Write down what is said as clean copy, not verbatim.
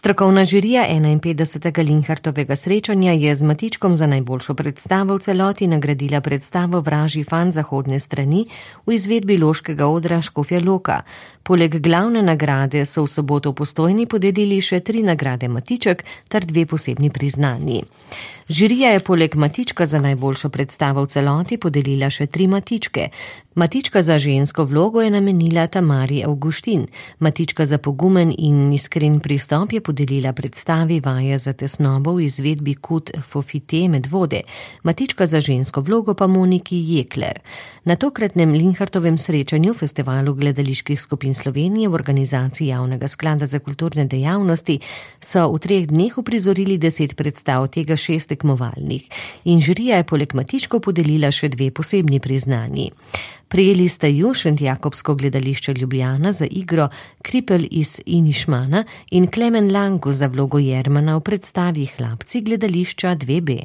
Strokovna žirija 51. Linhartovega srečanja je z Matičkom za najboljšo predstavo v celoti nagradila predstavo Vražji fan zahodne strani v izvedbi Loškega odra Škofja Loka. Poleg glavne nagrade so v soboto v Postojni podelili še 3 nagrade Matiček ter 2 posebni priznanji. Žirija je poleg Matička za najboljšo predstavo v celoti podelila še 3 Matičke. Matička za žensko vlogo je namenila Tamari Avguštin. Matička za pogumen in iskren pristop je podelila predstavi Vaja za tesnobo v izvedbi Kut Fofite Medvode. Matička za žensko vlogo pa Moniki Jekler. Na tokratnem Linhartovem srečanju Festivalu gledaliških skupin Slovenije v organizaciji Javnega sklada za kulturne dejavnosti so v 3 dneh uprizorili 10 predstav, tega 6 tekmovalnih. In žirija je poleg Matičkov podelila še 2 posebni priznanji. Prijeli sta ju Šentjakobsko gledališče Ljubljana za igro Kripel iz Inišmana in Klemen Lanku za vlogo Jermana v predstavi Hlapci gledališča 2B.